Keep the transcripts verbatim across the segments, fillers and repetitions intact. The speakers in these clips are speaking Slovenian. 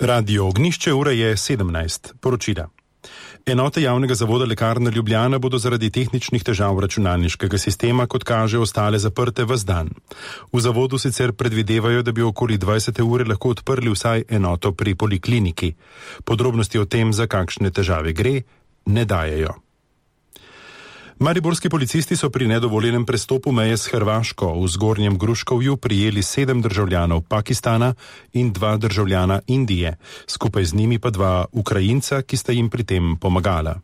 Radio Ognjišče, ura je sedemnajst. Poročila. Enote javnega zavoda Lekarna Ljubljana bodo zaradi tehničnih težav računalniškega sistema, kot kaže, ostale zaprte ves dan. V zavodu sicer predvidevajo, da bi okoli dvajsete ure lahko odprli vsaj enoto pri polikliniki. Podrobnosti o tem, za kakšne težave gre, ne dajejo. Mariborski policisti so pri nedovoljenem prestopu meje s Hrvaško v Zgornjem Gruškovju prijeli sedem državljanov Pakistana in dva državljana Indije, skupaj z njimi pa dva Ukrajinca, ki sta jim pri tem pomagala.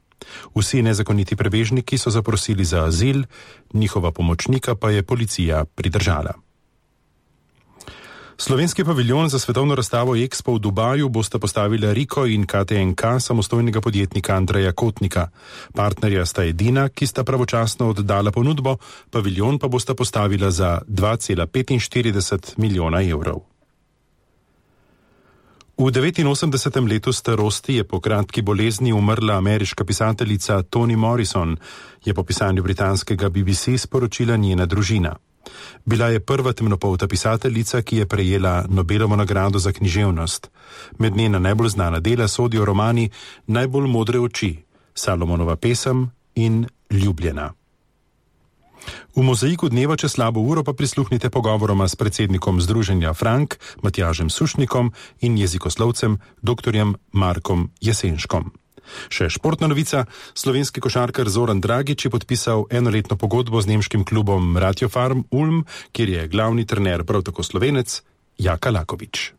Vsi nezakoniti prebežniki so zaprosili za azil, njihova pomočnika pa je policija pridržala. Slovenski paviljon za svetovno razstavo Expo v Dubaju bosta postavila Riko in K T N K samostojnega podjetnika Andreja Kotnika. Partnerja sta edina, ki sta pravočasno oddala ponudbo, paviljon pa bosta postavila za dva cela petinštirideset milijona evrov. V devetinosemdesetem letu starosti je po kratki bolezni umrla ameriška pisateljica Toni Morrison, je po pisanju britanskega B B C sporočila njena družina. Bila je prva temnopolta pisateljica, ki je prejela Nobelovo nagrado za književnost. Med njena najbolj znana dela sodijo romani Najbolj modre oči, Salomonova pesem in Ljubljena. V mozaiku dneva čez slabo uro pa prisluhnite pogovoroma s predsednikom Združenja Frank, Matjažem Sušnikom in jezikoslovcem doktorjem Markom Jesenškom. Še športna novica, slovenski košarkar Zoran Dragič je podpisal enoletno pogodbo z nemškim klubom Ratio Farm Ulm, kjer je glavni trener prav tako Slovenec Jaka Lakovič.